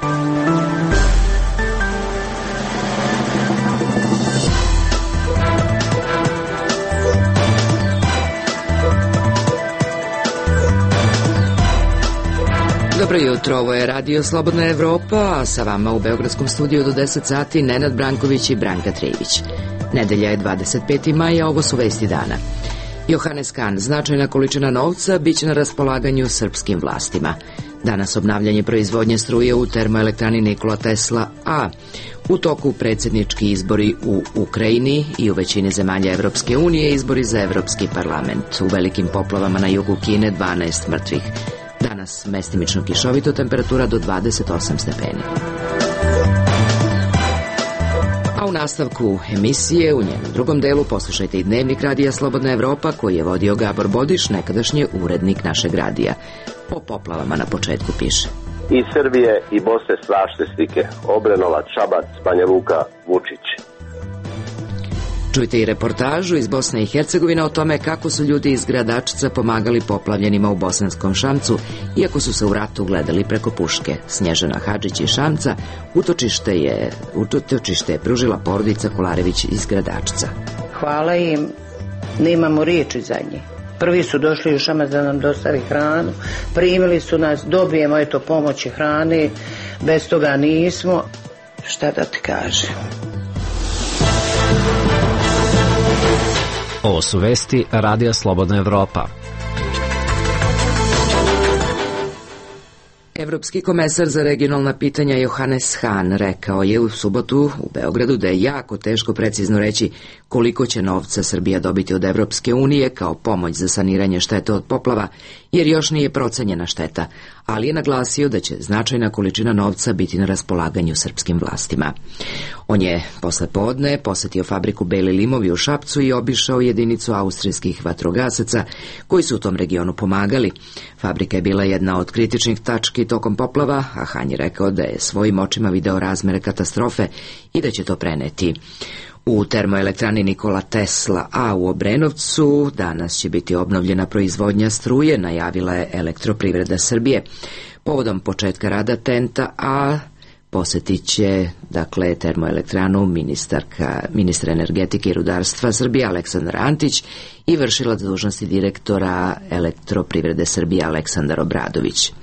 Dobro jutro, ovo je Radio Slobodna Evropa, a sa vama u Beogradskom studiju do 10 sati Nenad Branković i Branka Trivić. Nedelja je 25. maja, ovo su vesti dana. Johannes Hahn, značajna količina novca biće na raspolaganju srpskim vlastima. Danas obnavljanje proizvodnje struje u termoelektrani Nikola Tesla A. U toku predsjednički izbori u Ukrajini i u većini zemalja Evropske unije izbori za Evropski parlament. U velikim poplavama na jugu Kine 12 mrtvih. Danas mestimično kišovito, temperatura do 28 stepeni. A u nastavku emisije, u njenom drugom delu, poslušajte i dnevnik Radija Slobodna Evropa koji je vodio Gabor Bodiš, nekadašnji urednik našeg radija. Po poplavama na početku piše: Iz Srbije i Bosne strašne slike. Obrenovac, Šabac, Banja Luka, Vučić. Čujte i reportažu iz Bosne i Hercegovine o tome kako su ljudi iz Gradačca pomagali poplavljenima u Bosanskom Šamcu, iako su se u ratu gledali preko puške. Snježana Hadžić iz Šamca utočište je pružila porodica Kolarević iz Gradačca. Hvala im, nemamo riječi za njih. Prvi su došli u Šamac da nam dostavi hranu, primili su nas, dobijemo eto pomoći hrane, bez toga nismo. Šta da ti kažem? Ovo su vesti Radija Slobodna Evropa. Evropski komesar za regionalna pitanja Johannes Hahn rekao je u subotu u Beogradu da je jako teško precizno reći koliko će novca Srbija dobiti od Evropske unije kao pomoć za saniranje štete od poplava, jer još nije procenjena šteta, ali je naglasio da će značajna količina novca biti na raspolaganju srpskim vlastima. On je posle podne posetio fabriku Beli limovi u Šapcu i obišao jedinicu austrijskih vatrogasaca koji su u tom regionu pomagali. Fabrika je bila jedna od kritičnih tački tokom poplava, a Hahn je rekao da je svojim očima video razmere katastrofe i da će to preneti. U termoelektrani Nikola Tesla A u Obrenovcu danas će biti obnovljena proizvodnja struje, najavila je Elektroprivreda Srbije. Povodom početka rada TENT-a A posetit će termoelektranu ministra energetike i rudarstva Srbije Aleksandar Antić i vršilac dužnosti direktora Elektroprivrede Srbije Aleksandar Obradović.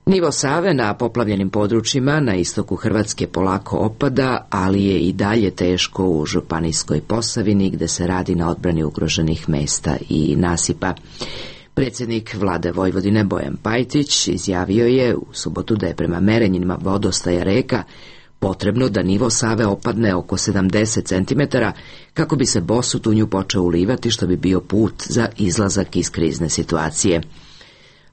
Nivo Save na poplavljenim područjima na istoku Hrvatske polako opada, ali je i dalje teško u Županijskoj Posavini gde se radi na odbrani ugroženih mesta i nasipa. Predsjednik vlade Vojvodine Bojan Pajtić izjavio je u subotu da je prema merenjima vodostaja reka potrebno da nivo Save opadne oko 70 cm kako bi se Bosut u nju počeo ulivati, što bi bio put za izlazak iz krizne situacije.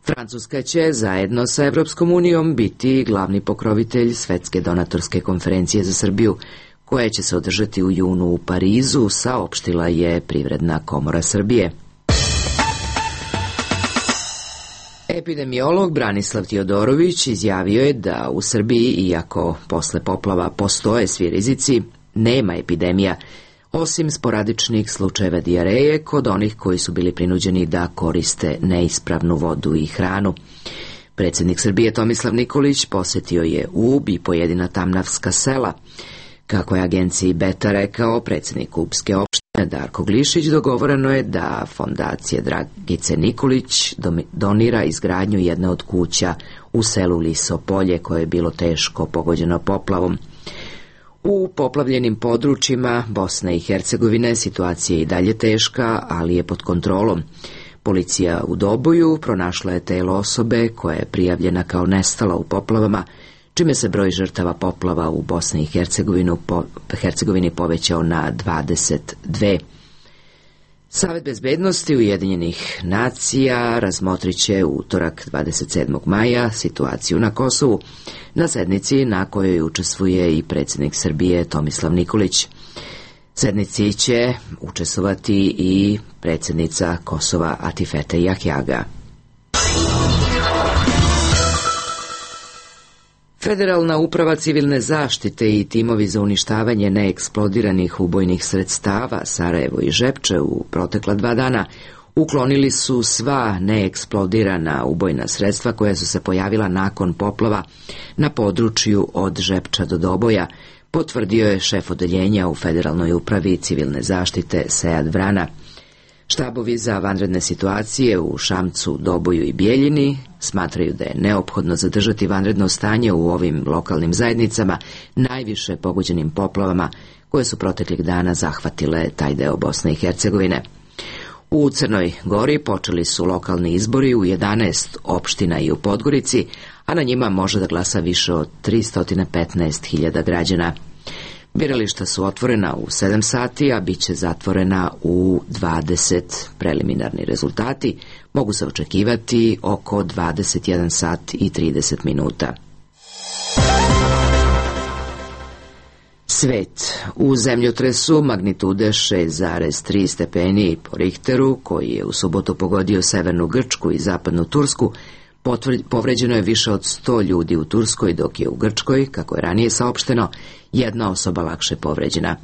Francuska će zajedno sa Evropskom unijom biti glavni pokrovitelj Svetske donatorske konferencije za Srbiju, koja će se održati u junu u Parizu, saopštila je Privredna komora Srbije. Epidemiolog Branislav Tiodorović izjavio je da u Srbiji, iako posle poplava postoje svi rizici, nema epidemija, osim sporadičnih slučajeva dijareje kod onih koji su bili prinuđeni da koriste neispravnu vodu i hranu. Predsjednik Srbije Tomislav Nikolić posetio je Ub i pojedina tamnavska sela. Kako je agenciji Beta rekao predsjednik Ubske opštine Darko Glišić, dogovoreno je da fondacija Dragice Nikolić donira izgradnju jedne od kuća u selu Liso Polje koje je bilo teško pogođeno poplavom. U poplavljenim područjima Bosne i Hercegovine situacija je i dalje teška, ali je pod kontrolom. Policija u Doboju pronašla je telo osobe koja je prijavljena kao nestala u poplavama, čime se broj žrtava poplava u Bosni i Hercegovini povećao na 22. Savet bezbednosti Ujedinjenih nacija razmotrit će u utorak 27. maja situaciju na Kosovu, na sednici na kojoj učestvuje i predsjednik Srbije Tomislav Nikolić. Sednici će učestvovati i predsjednica Kosova Atifete Jahjaga. Federalna uprava civilne zaštite i timovi za uništavanje neeksplodiranih ubojnih sredstava Sarajevo i Žepče u protekla 2 dana Uklonili su sva neeksplodirana ubojna sredstva koja su se pojavila nakon poplava na području od Žepča do Doboja, potvrdio je šef odeljenja u Federalnoj upravi civilne zaštite Sead Vrana. Štabovi za vanredne situacije u Šamcu, Doboju i Bijeljini smatraju da je neophodno zadržati vanredno stanje u ovim lokalnim zajednicama, najviše pogođenim poplavama koje su proteklih dana zahvatile taj deo Bosne i Hercegovine. U Crnoj Gori počeli su lokalni izbori u 11 opština i u Podgorici, a na njima može da glasa više od 315.000 građana. Birališta su otvorena u 7 sati, a bit će zatvorena u 20. Preliminarni rezultati mogu se očekivati oko 21 sat i 30 minuta. Svet. U zemljotresu magnitude 6,3 stepeni po Richteru, koji je u subotu pogodio severnu Grčku i zapadnu Tursku, povređeno je više od 100 ljudi u Turskoj, dok je u Grčkoj, kako je ranije saopšteno, jedna osoba lakše povređena.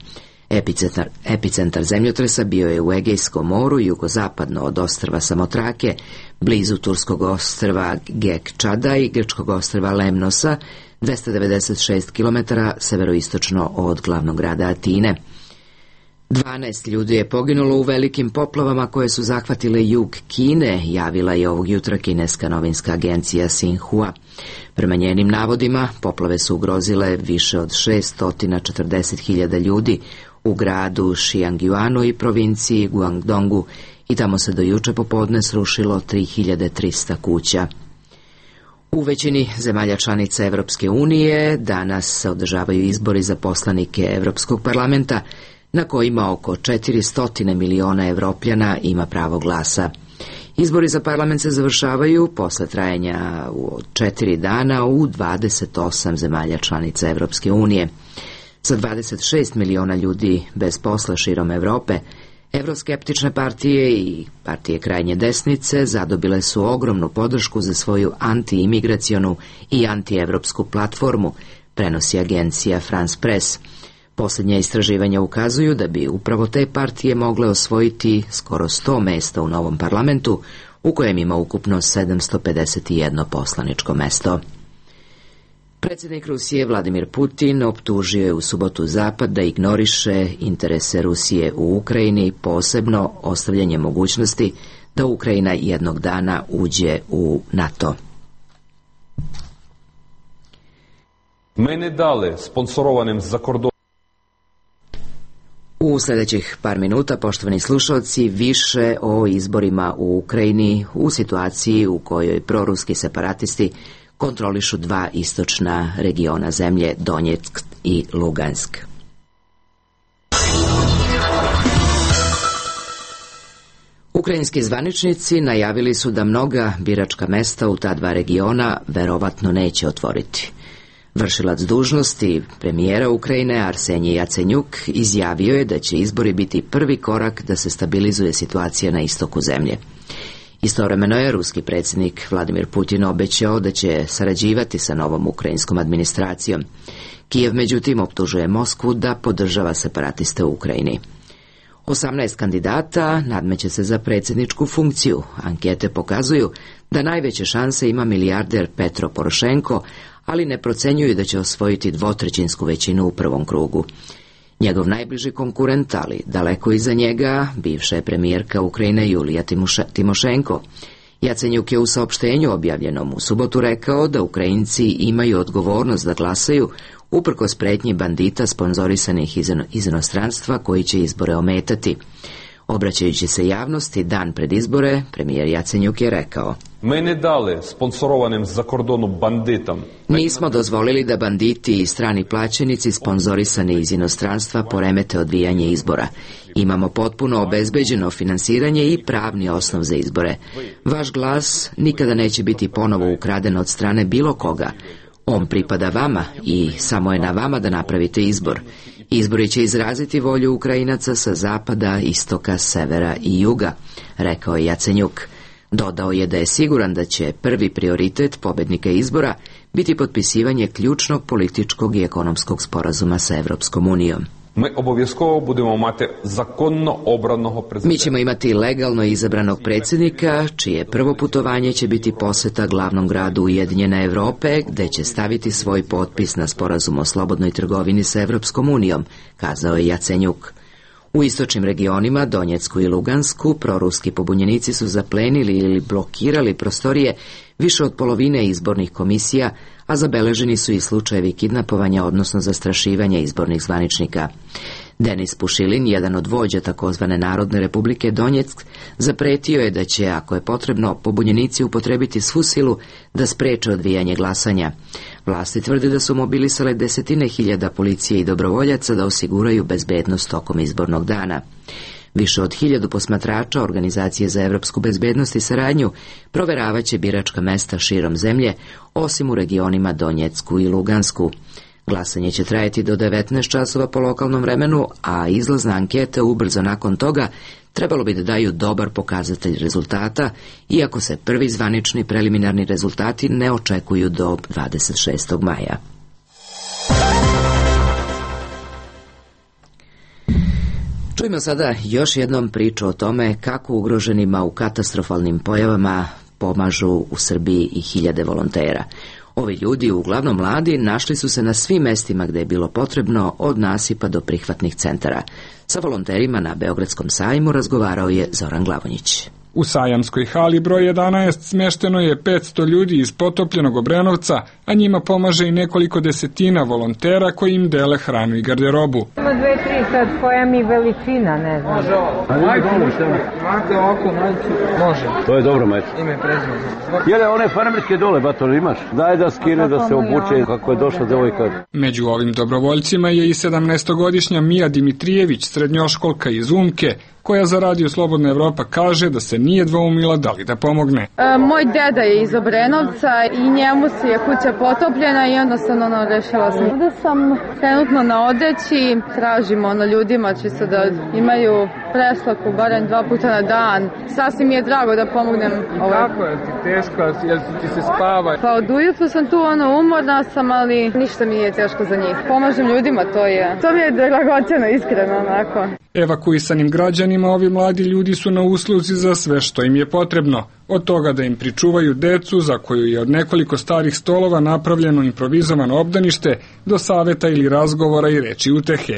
Epicentar zemljotresa bio je u Egejskom moru, jugozapadno od ostrva Samotrake, blizu turskog ostrva Gekčada i grčkog ostrva Lemnosa, 296 km severoistočno od glavnog grada Atine. 12 ljudi je poginulo u velikim poplavama koje su zahvatile jug Kine, javila je ovog jutra kineska novinska agencija Xinhua. Prema njenim navodima, poplave su ugrozile više od 640.000 ljudi u gradu Xiangyuanu i provinciji Guangdongu i tamo se do juče popodne srušilo 3300 kuća. U većini zemalja članica Evropske unije danas se održavaju izbori za poslanike Evropskog parlamenta, na kojima oko 400 miliona Evropljana ima pravo glasa. Izbori za parlament se završavaju posle trajanja od 4 dana u 28 zemalja članica Evropske unije. Sa 26 miliona ljudi bez posla širom Evrope, evroskeptične partije i partije krajnje desnice zadobile su ogromnu podršku za svoju antiimigracionu i antievropsku platformu, prenosi agencija France Press. Posljednja istraživanja ukazuju da bi upravo te partije mogle osvojiti skoro 100 mesta u novom parlamentu, u kojem ima ukupno 751 poslaničko mesto. Predsjednik Rusije Vladimir Putin optužio je u subotu Zapad da ignoriše interese Rusije u Ukrajini, posebno ostavljanje mogućnosti da Ukrajina jednog dana uđe u NATO. Mene dale sponsorovanim za kordon. U sljedećih par minuta, poštovani slušalci, više o izborima u Ukrajini u situaciji u kojoj proruski separatisti kontrolišu 2 istočna regiona zemlje, Donjeck i Lugansk. Ukrajinski zvaničnici najavili su da mnoga biračka mesta u ta 2 regiona verovatno neće otvoriti. Vršilac dužnosti premijera Ukrajine Arsenij Jacenjuk izjavio je da će izbori biti prvi korak da se stabilizuje situacija na istoku zemlje. Istovremeno je ruski predsjednik Vladimir Putin obećao da će sarađivati sa novom ukrajinskom administracijom. Kijev međutim optužuje Moskvu da podržava separatiste u Ukrajini. 18 kandidata nadmeće se za predsjedničku funkciju. Ankete pokazuju da najveće šanse ima milijarder Petro Porošenko, ali ne procenjuju da će osvojiti 2/3 većinu u prvom krugu. Njegov najbliži konkurent, ali daleko iza njega, bivša je premijerka Ukrajine Julija Timošenko. Jacenjuk je u saopštenju objavljenom u subotu rekao da Ukrajinci imaju odgovornost da glasaju uprkos pretnji bandita sponzorisanih iz inostranstva koji će izbore ometati. Obraćajući se javnosti dan pred izbore, premijer Jacenjuk je rekao: Mene dale sponsorovanim za kordonu banditam. Nismo dozvolili da banditi i strani plaćenici sponzorisani iz inostranstva poremete odvijanje izbora. Imamo potpuno obezbeđeno finansiranje i pravni osnov za izbore. Vaš glas nikada neće biti ponovo ukraden od strane bilo koga. On pripada vama i samo je na vama da napravite izbor. Izbori će izraziti volju Ukrajinaca sa zapada, istoka, severa i juga, rekao je Jacenjuk. Dodao je da je siguran da će prvi prioritet pobednika izbora biti potpisivanje ključnog političkog i ekonomskog sporazuma sa Evropskom unijom. Ми обов'язково будемо мати законно обраного президента. Mi ćemo imati legalno izabranog predsjednika, čije prvo putovanje će biti poseta glavnom gradu Ujedinjene Evrope, gde će staviti svoj potpis na sporazum o slobodnoj trgovini sa Evropskom unijom, kazao je Jacenjuk. U istočnim regionima, Donjecku i Lugansku, proruski pobunjenici su zaplenili ili blokirali prostorije više od polovine izbornih komisija, a zabeleženi su i slučajevi kidnapovanja, odnosno zastrašivanja izbornih zvaničnika. Denis Pušilin, jedan od vođa takozvane Narodne republike Donjeck, zapretio je da će, ako je potrebno, pobunjenici upotrebiti svu silu da spreče odvijanje glasanja. Vlasti tvrde da su mobilisale desetine hiljada policije i dobrovoljaca da osiguraju bezbednost tokom izbornog dana. Više od 1000 posmatrača Organizacije za evropsku bezbednost i saradnju proveravaće biračka mesta širom zemlje, osim u regionima Donjecku i Lugansku. Glasanje će trajati do 19 časova po lokalnom vremenu, a izlazna ankete ubrzo nakon toga trebalo bi da daju dobar pokazatelj rezultata, iako se prvi zvanični preliminarni rezultati ne očekuju do 26. maja. Čujmo sada još jednom priču o tome kako ugroženima u katastrofalnim pojavama pomažu u Srbiji i hiljade volontera. Ovi ljudi, uglavnom mladi, našli su se na svim mestima gde je bilo potrebno, od nasipa do prihvatnih centara. Sa volonterima na Beogradskom sajmu razgovarao je Zoran Glavonjić. U sajamskoj hali broj 11 smešteno je 500 ljudi iz potopljenog Obrenovca, a njima pomaže i nekoliko desetina volontera koji im dele hranu i garderobu. Ima 2-3 sad koja mi veličina, ne znam. Može ovo. Majte ovako, može. To je dobro, majte. Ime prezime. Jele, one farmerske dole, bator, imaš? Daj da skine, da se obuče kako je došla devojka. Među ovim dobrovoljcima je i 17-godišnja Mija Dimitrijević, srednjoškolka iz Umke, koja za Radio Slobodna Evropa kaže da se nije dvoumila da li da pomogne. Moj deda je iz Obrenovca i njemu se je kuća potopljena i jednostavno rešila sam. Ovde sam trenutno na odeći, tražimo ljudima čisto da imaju preslaku barem 2 puta na dan. Sasvim mi je drago da pomognem. Kako je ti teško, jel ti se spava? Pa od ujutru sam tu umorna sam, ali ništa mi nije teško za njih. Pomažem ljudima, to mi je dragoceno, iskreno onako. Evakuisanim građanima ovi mladi ljudi su na usluzi za sve što im je potrebno. Od toga da im pričuvaju decu, za koju je od nekoliko starih stolova napravljeno improvizovano obdanište, do saveta ili razgovora i reči utehe.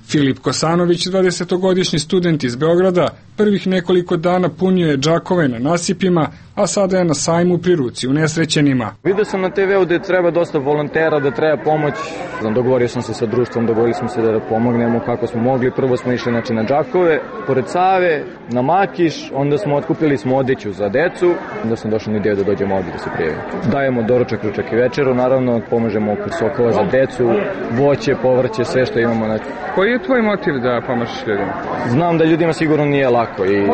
Filip Kosanović, 20-godišnji student iz Beograda, prvih nekoliko dana punio je džakove na nasipima, a sada je na sajmu pri ruci unesrećenima. Vidio sam na TV-u da treba dosta volontera, da treba pomoć. Dogovorio sam se sa društvom, dogovorili smo se da pomognemo kako smo mogli. Prvo smo išli na džakove, pored Save, na Makiš, onda smo otkupili odeću za decu, onda sam došao na ideju da dođemo ovdje da se prijavimo. Dajemo doručak, ručak i večeru, naravno pomožemo oko sokova za decu, voće, povrće, sve što imamo. Koji je tvoj motiv da pomažeš ljudima? Znam da ljudima sigurno nije lako i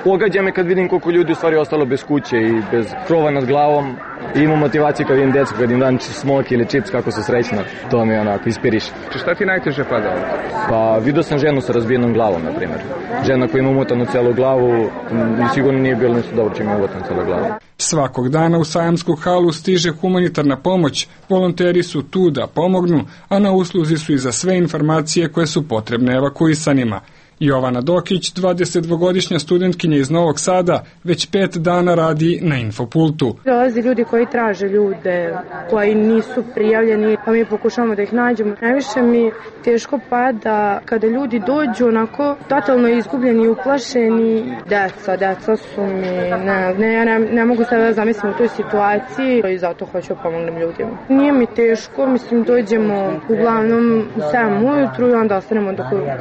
pogađa me kad vidim koliko ljudi u stvari ostalo bez kuće i bez krova nad glavom. I imam motivaciju kad vidim decu, kad im dam smok ili čips, kako su srećno. To mi onako ispiriše. Šta ti najteže pada? Pa vidio sam ženu sa razbijenom glavom, na primjer. Žena koja ima umotanu celu glavu, sigurno nije bilo ništa dobro će ima umotanu celu glavu. Svakog dana u sajamsku halu stiže humanitarna pomoć, volonteri su tu da pomognu, a na usluzi su i za sve informacije koje su potrebne evakuisanima. Jovana Dokić, 22-godišnja studentkinja iz Novog Sada, već 5 dana radi na Infopultu. Dolazi ljudi koji traže ljude, koji nisu prijavljeni, pa mi pokušamo da ih nađemo. Najviše mi teško pada kada ljudi dođu onako totalno izgubljeni i uplašeni. Deca su mi, ne mogu sada da zamislim u toj situaciji i zato hoću da pomognem ljudima. Nije mi teško, mislim dođemo uglavnom u 7 ujutru i onda ostanemo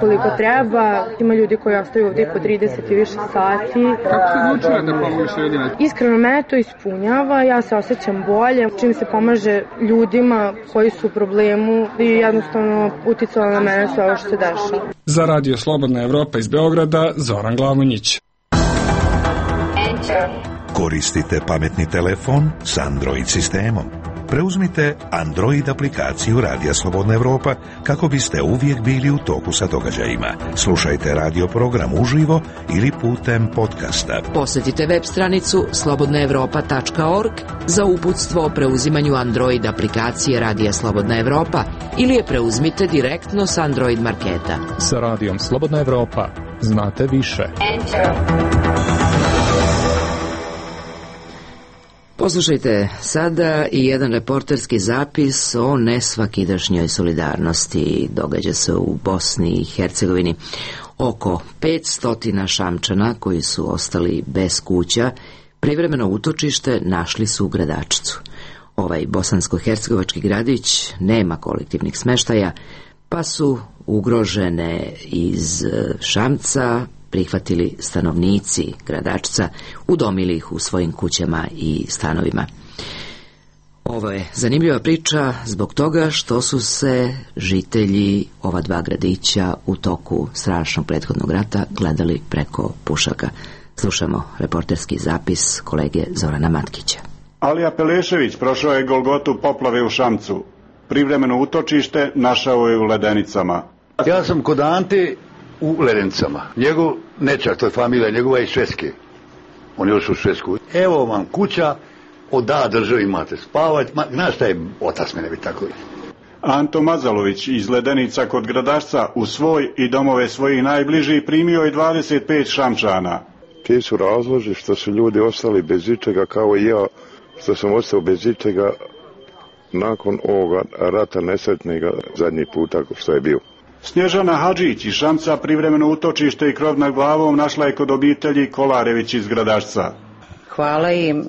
koliko treba. Ima ljudi koji ostaju ovdje po 30 i više sati. Kako se odlučila da pomogliš ljudima? Iskreno, mene to ispunjava, ja se osjećam bolje. Čim se pomaže ljudima koji su u problemu i jednostavno uticalo na mene sve ovo što se dešava. Za Radio Slobodna Evropa iz Beograda, Zoran Glavonjić. Koristite pametni telefon s Android sistemom. Preuzmite Android aplikaciju Radija Slobodna Evropa kako biste uvijek bili u toku sa događajima. Slušajte radio program uživo ili putem podcasta. Posjetite web stranicu slobodnaevropa.org za uputstvo o preuzimanju Android aplikacije Radija Slobodna Evropa ili je preuzmite direktno s Android marketa. Sa Radijom Slobodna Evropa znate više. Poslušajte sada i jedan reporterski zapis o nesvakidašnjoj solidarnosti. Događa se u Bosni i Hercegovini. Oko 500 Šamčana koji su ostali bez kuća privremeno utočište našli su u Gradačcu. Ovaj bosansko-hercegovački gradić nema kolektivnih smeštaja, pa su ugrožene iz Šamca prihvatili stanovnici Gradačca, udomili ih u svojim kućama i stanovima. Ovo je zanimljiva priča zbog toga što su se žitelji ova dva gradića u toku strašnog prethodnog rata gledali preko pušaka. Slušamo reporterski zapis kolege Zorana Matkića. Alija Pelešević prošao je Golgotu poplave u Šamcu. Privremeno utočište našao je u Ledenicama. Ja sam kod Ante u Ledenicama. Njegov nečak, to je familija njegova iz Švedske. On je još u Švedsku. Evo vam kuća, da državi imate spavati. Znaš šta je otac mene bi tako. Anto Mazalović iz Ledenica kod Gradašca u svoj i domove svojih najbližih primio je 25 Šamčana. Ti su razloži što su ljudi ostali bez ičega kao i ja, što sam ostao bez ičega nakon ovoga rata nesretnega zadnji puta što je bio. Snježana Hadžić iz Šamca privremeno utočište i krov nad glavom našla je kod obitelji Kolarević iz Gradašca. Hvala im,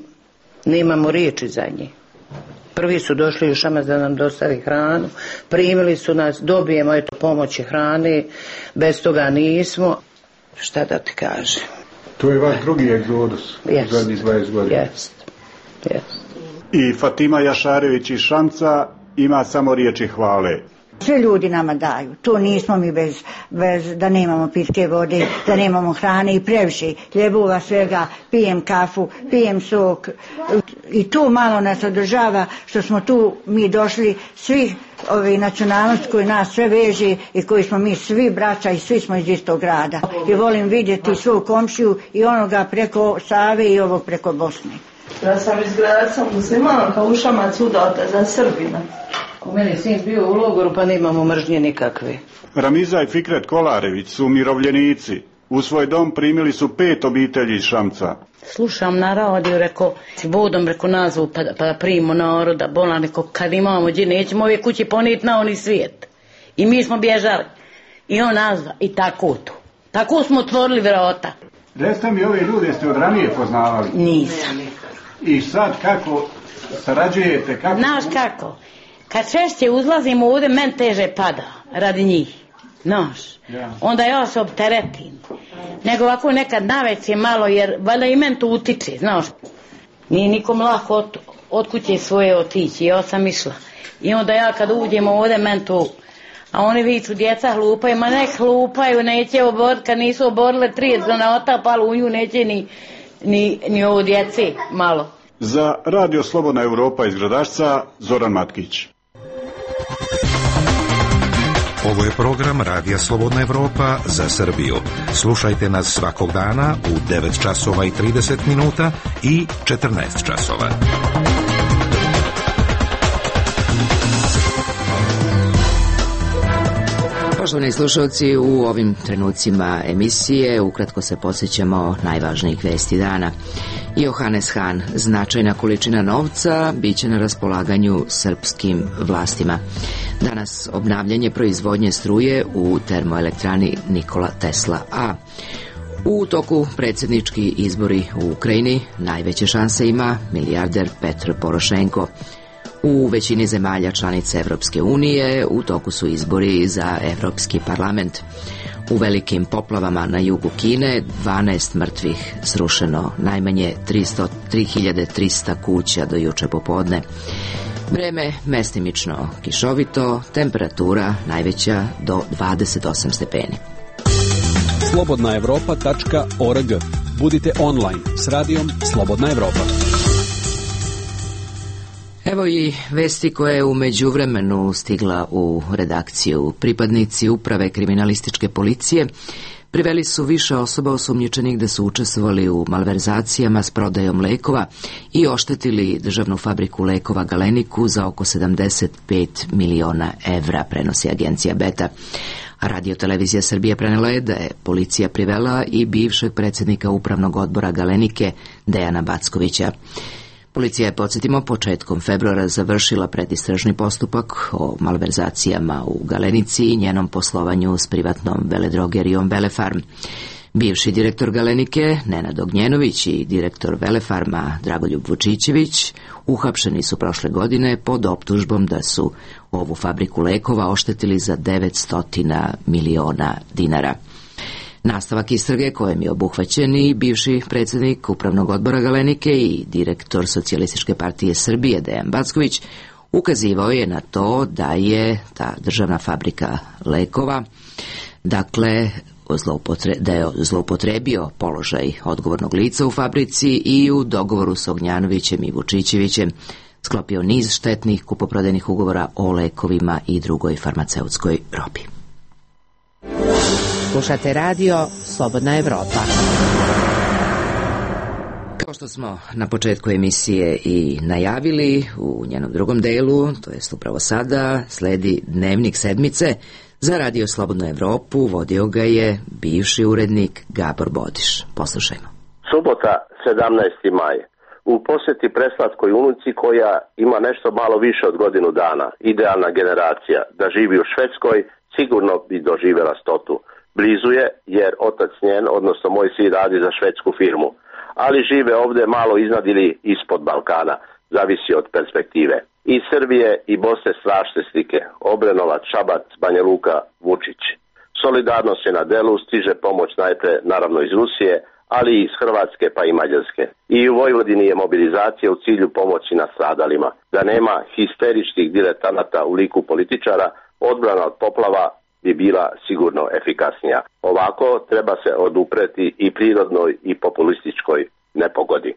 nemamo riječi za njih. Prvi su došli u Šamac da nam dostavi hranu, primili su nas, dobijemo eto pomoći hrane, bez toga nismo. Šta da ti kažem? To je vaš drugi egzodus u zadnjih 20 godina. Jest. I Fatima Jašarević iz Šamca ima samo riječi hvale. Sve ljudi nama daju, to nismo mi bez da nemamo pitke vode, da nemamo hrane i previše ljebova svega, pijem kafu, pijem sok i to malo nas održava što smo tu mi došli svi ovi nacionalnosti koji nas sve veže i koji smo mi svi braća i svi smo iz istog grada. I volim vidjeti svoju komšiju i onoga preko Save i ovog preko Bosne. Ja sam iz Gradca muslimanka, u Šamac udata za Srbina. U meni sin bio u logoru pa nemamo mržnje nikakve. Ramiza i Fikret Kolarević su umirovljenici. U svoj dom primili su 5 obitelji iz Šamca. Slušam na radiju, rekao, vodom reko nazvu pa da primimo naroda, bolan, rekao, kad imamo gdje nećemo ove kući ponijeti na oni svijet. I mi smo bježali. I on nazva i tako to. Tako smo otvorili vrata. Recite mi, ove ljude ste od ranije poznavali? Nisam. I sad kako sarađujete? Znaš kako? Kad češće uzlazimo ovdje, men teže pada radi njih. Znaš, onda ja se opteretim. Nego ovako nekad naveće malo, jer valjda i men to utiče, znaš. Nije nikom lako od kuće svoje otići, ja sam išla. I onda ja kad uđemo ovdje, men to, a oni viču, djeca hlupaju, ma ne hlupaju, neće oboriti, kad nisu oborile 30 granata, palo u nju, neće ni ovo djece malo. Za Radio Slobodna Evropa iz Gradašca, Zoran Matkić. Ovo je program Radija Slobodna Evropa za Srbiju. Slušajte nas svakog dana u 9 časova i 30 minuta i 14 časova. Poštovani slušalci, u ovim trenucima emisije ukratko se podsjećamo najvažnijih vesti dana. Johannes Hahn, značajna količina novca biće na raspolaganju srpskim vlastima. Danas obnavljanje proizvodnje struje u termoelektrani Nikola Tesla A. U toku predsjednički izbori u Ukrajini najveće šanse ima milijarder Petro Porošenko. U većini zemalja članica Evropske unije u toku su izbori za Evropski parlament. U velikim poplavama na jugu Kine 12 mrtvih, srušeno najmanje 3300 kuća do juče popodne. Vreme mestimično kišovito, temperatura najveća do 28 stepeni. slobodnaevropa.org. Budite online s radijom Slobodna Evropa. Evo i vesti koje je u međuvremenu stigla u redakciju. Pripadnici uprave kriminalističke policije priveli su više osoba osumnjičenih da su učestvovali u malverzacijama s prodajom lekova i oštetili državnu fabriku lekova Galeniku za oko 75 miliona evra, prenosi agencija Beta. A Radio-televizija Srbije prenela je da je policija privela i bivšeg predsjednika upravnog odbora Galenike Dejana Backovića. Policija je, podsjetimo, početkom februara završila predistražni postupak o malverzacijama u Galenici i njenom poslovanju s privatnom veledrogerijom Velefarm. Bivši direktor Galenike Nenad Ognjenović i direktor Velefarma Dragoljub Vučićević uhapšeni su prošle godine pod optužbom da su ovu fabriku lekova oštetili za 900 miliona dinara. Nastavak istrage kojem je obuhvaćen i bivši predsjednik upravnog odbora Galenike i direktor Socijalističke partije Srbije Dejan Backović ukazivao je na to da je ta državna fabrika lekova, dakle, da je zloupotrebio položaj odgovornog lica u fabrici i u dogovoru s Ognjanovićem i Vučićevićem sklopio niz štetnih kupoprodajnih ugovora o lekovima i drugoj farmaceutskoj robi. Slušate radio Slobodna Evropa. Kao što smo na početku emisije i najavili, u njenom drugom delu, to jest upravo sada, sledi Dnevnik sedmice. Za Radio Slobodnu Evropu vodio ga je bivši urednik Gabor Bodiš. Poslušajmo. Subota, 17. maj. U posjeti preslatkoj unuci koja ima nešto malo više od godinu dana. Idealna generacija. Da živi u Švedskoj, sigurno bi doživjela 100. Blizu je, jer otac njen, odnosno moj sin, radi za švedsku firmu. Ali žive ovdje malo iznad ili ispod Balkana. Zavisi od perspektive. Iz Srbije i Bosne strašne slike. Obrenovac, Šabac, Banja Luka, Vučić. Solidarnost je na delu, stiže pomoć najprije naravno iz Rusije, ali i iz Hrvatske pa i Mađarske. I u Vojvodini je mobilizacija u cilju pomoći nastradalima. Da nema histeričkih diletanata u liku političara, odbrana od poplava bi bila sigurno efikasnija. Ovako treba se odupreti i prirodnoj i populističkoj nepogodi.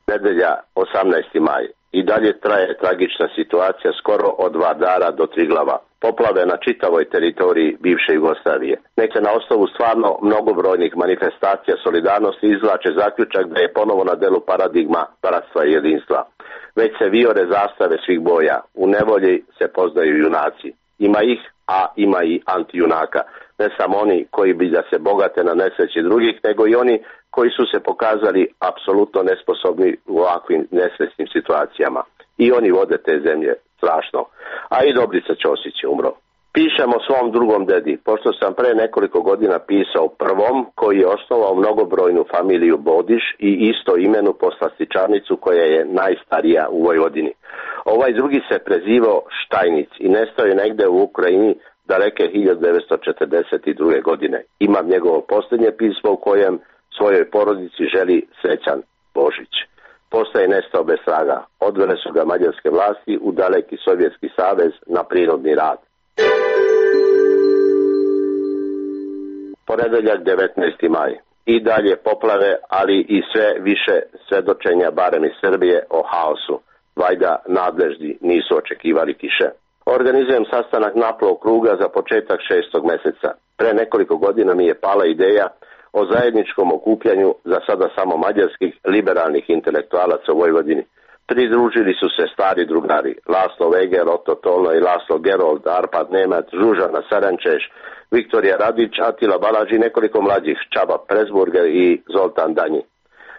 Nedelja, 18. maj. I dalje traje tragična situacija skoro od Vardara do Triglava. Poplave na čitavoj teritoriji bivše Jugoslavije. Nek se na osnovu stvarno mnogobrojnih manifestacija solidarnosti izvlače zaključak da je ponovo na delu paradigma bratstva i jedinstva. Već se vijore zastave svih boja. U nevolji se poznaju junaci. Ima ih, a ima i antijunaka. Ne samo oni koji bi da se bogate na nesreći drugih, nego i oni koji su se pokazali apsolutno nesposobni u ovakvim nesrećnim situacijama. I oni vode te zemlje strašno. A i Dobrica Ćosić je umro. Pišem o svom drugom dedi, pošto sam pre nekoliko godina pisao prvom, koji je osnovao mnogobrojnu familiju Bodiš i isto imenu po slastičarnicu koja je najstarija u Vojvodini. Ovaj drugi se prezivao Štajnic i nestao je negde u Ukrajini daleke 1942. godine. Imam njegovo posljednje pismo u kojem svojoj porodici želi srećan Božić. Postaje nestao bez traga. Odvele su ga mađarske vlasti u daleki Sovjetski savez na prirodni rad. Ponedeljak, 19. maj. I dalje poplave, ali i sve više svedočenja, barem iz Srbije, o haosu. Vajda nadležni nisu očekivali kiše. Organizujem sastanak naplov kruga za početak 6. meseca. Pre nekoliko godina mi je pala ideja o zajedničkom okupljanju za sada samo mađarskih liberalnih intelektualaca u Vojvodini. Pridružili su se stari drugari, Laslo Veger, Otto Tolno i Laslo Gerold, Arpad Nemac, Žužana Sarančeš, Viktorija Radić, Atila Balaž i nekoliko mlađih, Čaba Presburger i Zoltan Danji.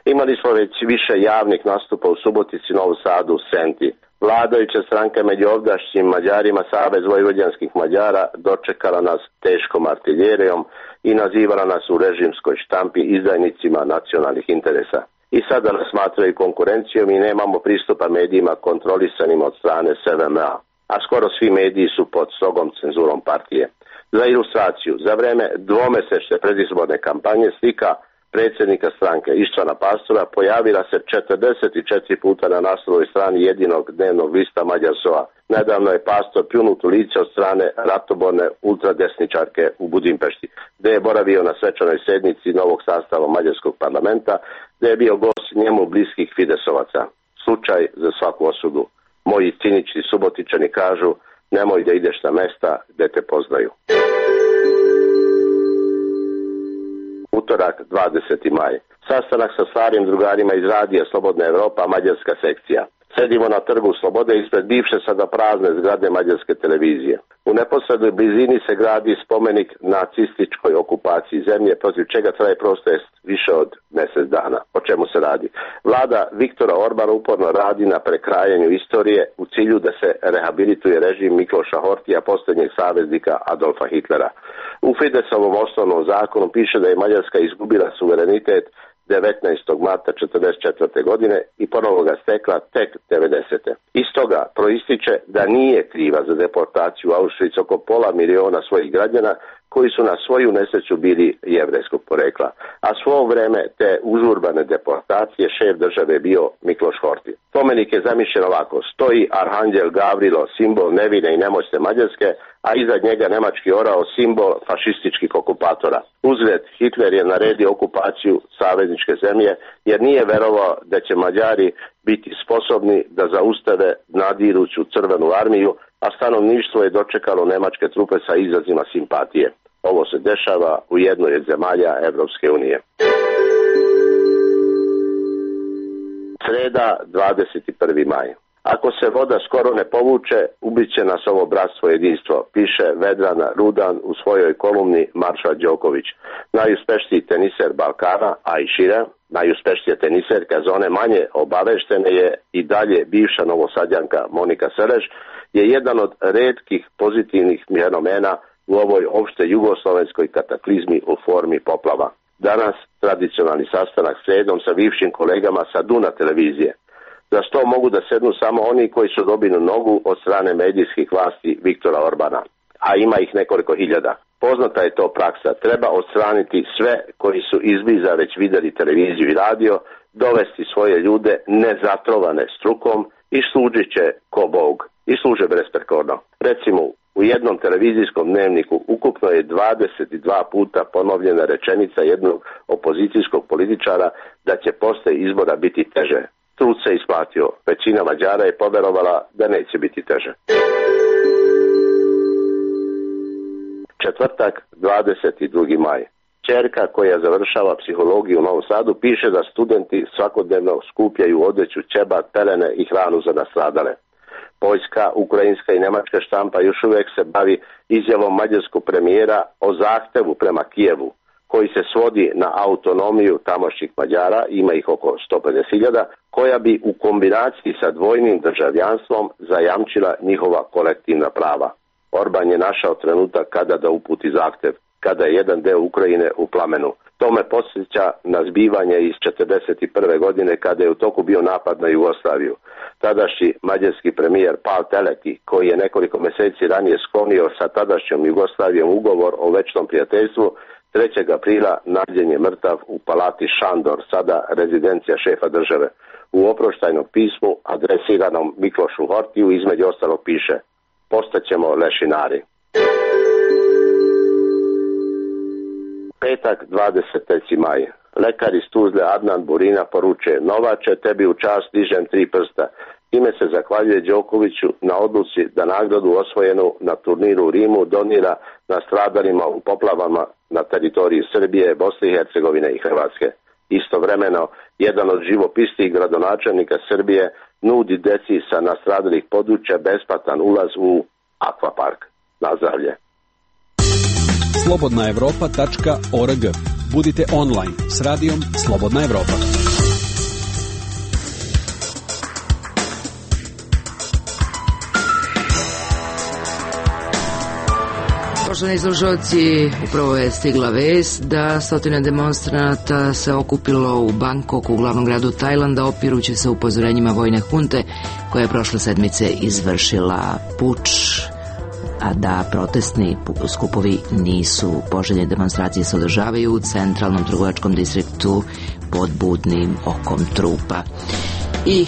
Imali smo već više javnih nastupa u Subotici, Novu Sadu, Senti. Vladajuća stranka među ovdašnjim Mađarima, Savez vojvođanskih Mađara, dočekala nas teškom artiljerijom i nazivala nas u režimskoj štampi izdajnicima nacionalnih interesa. I sada nas smatraju konkurencijom i nemamo pristupa medijima kontrolisanim od strane SVM-a, a skoro svi mediji su pod strogom cenzurom partije. Za ilustraciju, za vreme dvomesečne predizborne kampanje slika predsjednika stranke Ištvana Pastora pojavila se 44 puta na naslovnoj strani jedinog dnevnog lista Mađar SOA. Nedavno je Pastor pljunut u lice od strane ratoborne ultradesničarke u Budimpešti, gde je boravio na svečanoj sednici novog sastava Mađarskog parlamenta, gde je bio gost njemu bliskih Fidesovaca. Slučaj za svaku osudu. Moji cinični Subotičani kažu, nemoj da ideš na mesta gde te poznaju. Utorak, 20. maj. Sastanak sa starim drugarima iz radija Slobodna Evropa, mađarska sekcija. Sedimo na Trgu Slobode ispred bivše sada prazne zgrade mađarske televizije. U neposrednoj blizini se gradi spomenik nacističkoj okupaciji zemlje, protiv čega traje protest više od mjesec dana. O čemu se radi? Vlada Viktora Orbana uporno radi na prekrajanju istorije u cilju da se rehabilituje režim Mikloša Hortija, posljednjeg saveznika Adolfa Hitlera. U Fidesovom osnovnom zakonu piše da je Mađarska izgubila suverenitet 19. marta 1944. godine i ponovo ga stekla tek 90. Iz toga proističe da nije kriva za deportaciju u Auschwitz oko 500.000 svojih građana koji su na svoju nesreću bili jevrejskog porekla, a svo vreme te užurbane deportacije šef države bio Mikloš Horthy. Spomenik je zamišljen ovako: stoji arhanđel Gavrilo, simbol nevine i nemoćne Mađarske, a iza njega nemački orao, simbol fašističkih okupatora. Uzgled, Hitler je naredio okupaciju savezničke zemlje jer nije verovao da će Mađari biti sposobni da zaustave nadiruću crvenu armiju, a stanovništvo je dočekalo nemačke trupe sa izrazima simpatije. Ovo se dešava u jednoj od zemalja Evropske unije. Sreda, 21. maj. Ako se voda skoro ne povuče, ubiće nas ovo bratstvo jedinstvo, piše Vedran Rudan u svojoj kolumni Marša Đoković. Najuspešniji teniser Balkana, a i šire, najuspešnija teniserka za one manje obaveštene je i dalje bivša Novosadjanka Monika Seles, je jedan od retkih pozitivnih fenomena u ovoj opšte jugoslovenskoj kataklizmi u formi poplava. Danas tradicionalni sastanak sredom sa bivšim kolegama sa Duna televizije. Za sto mogu da sednu samo oni koji su dobili nogu od strane medijskih vlasti Viktora Orbana, a ima ih nekoliko hiljada. Poznata je to praksa. Treba odstraniti sve koji su izbliza već videli televiziju i radio, dovesti svoje ljude nezatrovane strukom i služit će ko Bog. I služe besprekorno. Recimo, u jednom televizijskom dnevniku ukupno je 22 puta ponovljena rečenica jednog opozicijskog političara da će posle izbora biti teže. Trud se isplatio. Većina Mađara je poverovala da neće biti teže. Četvrtak, 22. maj. Ćerka koja završava psihologiju u Novom Sadu piše da studenti svakodnevno skupljaju odeću, ćebat, pelene i hranu za nastradale. Poljska, ukrajinska i nemačka štampa još uvijek se bavi izjavom mađarskog premijera o zahtevu prema Kijevu, koji se svodi na autonomiju tamošnjih Mađara, ima ih oko 150.000, koja bi u kombinaciji sa dvojnim državljanstvom zajamčila njihova kolektivna prava. Orban je našao trenutak kada da uputi zahtev, kada je jedan deo Ukrajine u plamenu. To me podsjeća na zbivanje iz 1941. godine kada je u toku bio napad na Jugoslaviju. Tadašnji mađarski premijer Pál Teleki, koji je nekoliko mjeseci ranije sklonio sa tadašnjom Jugoslavijom ugovor o večnom prijateljstvu, 3. aprila nađen je mrtav u palati Šandor, sada rezidencija šefa države. U oproštajnom pismu adresiranom Miklošu Hortiju između ostalog piše: postaćemo lešinari. Petak, 23. maj. Lekar iz Tuzle Adnan Burina poručuje: Novače, tebi u čast dižem 3 prsta. Time se zahvaljuje Đokoviću na odluci da nagradu osvojenu na turniru u Rimu donira nastradalima u poplavama na teritoriji Srbije, Bosne i Hercegovine i Hrvatske. Istovremeno, jedan od živopisnijih gradonačelnika Srbije nudi deci sa nastradalih područja besplatan ulaz u akvapark. Nazdravlje. slobodnaevropa.org. Budite online s radijom Slobodna Evropa. Poštovani slušalci, upravo je stigla vest da stotine demonstranata se okupilo u Bangkoku, u glavnom gradu Tajlanda, opirući se upozorenjima vojne hunte koja je prošle sedmice izvršila puč a da protestni skupovi nisu poželjne. Demonstracije se održavaju u centralnom trgovačkom distriktu pod budnim okom trupa. I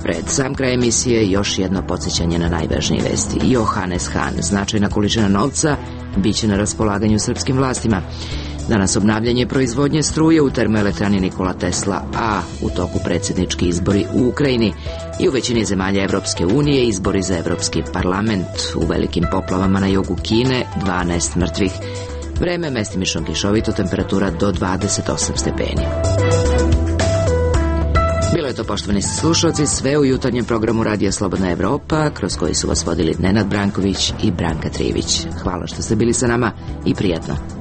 pred sam kraj emisije još jedno podsjećanje na najvažnije vesti. Johannes Hahn, značajna količina novca, biće na raspolaganju srpskim vlastima. Danas obnavljanje proizvodnje struje u termoelektrani Nikola Tesla, a u toku predsjednički izbori u Ukrajini i u većini zemalja Evropske unije izbori za Evropski parlament. U velikim poplavama na jugu Kine 12 mrtvih. Vreme mestimično kišovito, temperatura do 28 stepeni. Bilo je to, poštovani slušalci, sve u jutarnjem programu Radija Slobodna Evropa, kroz koji su vas vodili Nenad Branković i Branka Trivić. Hvala što ste bili sa nama i prijatno.